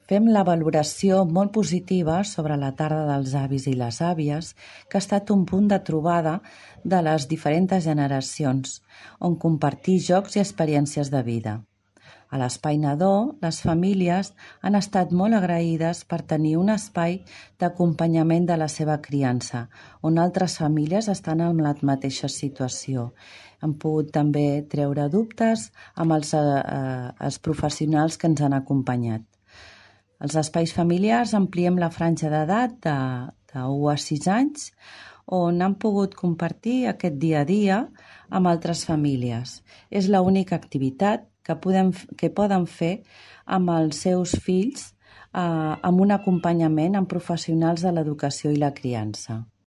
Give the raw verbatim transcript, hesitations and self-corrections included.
Fem la valoració molt positiva sobre la tarda dels avis i les àvies, que ha estat un punt de trobada de les diferents generacions, on compartir jocs i experiències de vida. A l'Espai Nadó, les famílies han estat molt agraïdes per tenir un espai d'acompanyament de la seva criança, on altres famílies estan en la mateixa situació. Han pogut també treure dubtes amb els, eh, els professionals que ens han acompanyat. Els espais familiars ampliem la franja d'edat de, de u a sis anys, on han pogut compartir aquest dia a dia amb altres famílies. És l'única activitat que, podem, que poden fer amb els seus fills eh, amb un acompanyament amb professionals de l'educació i la criança.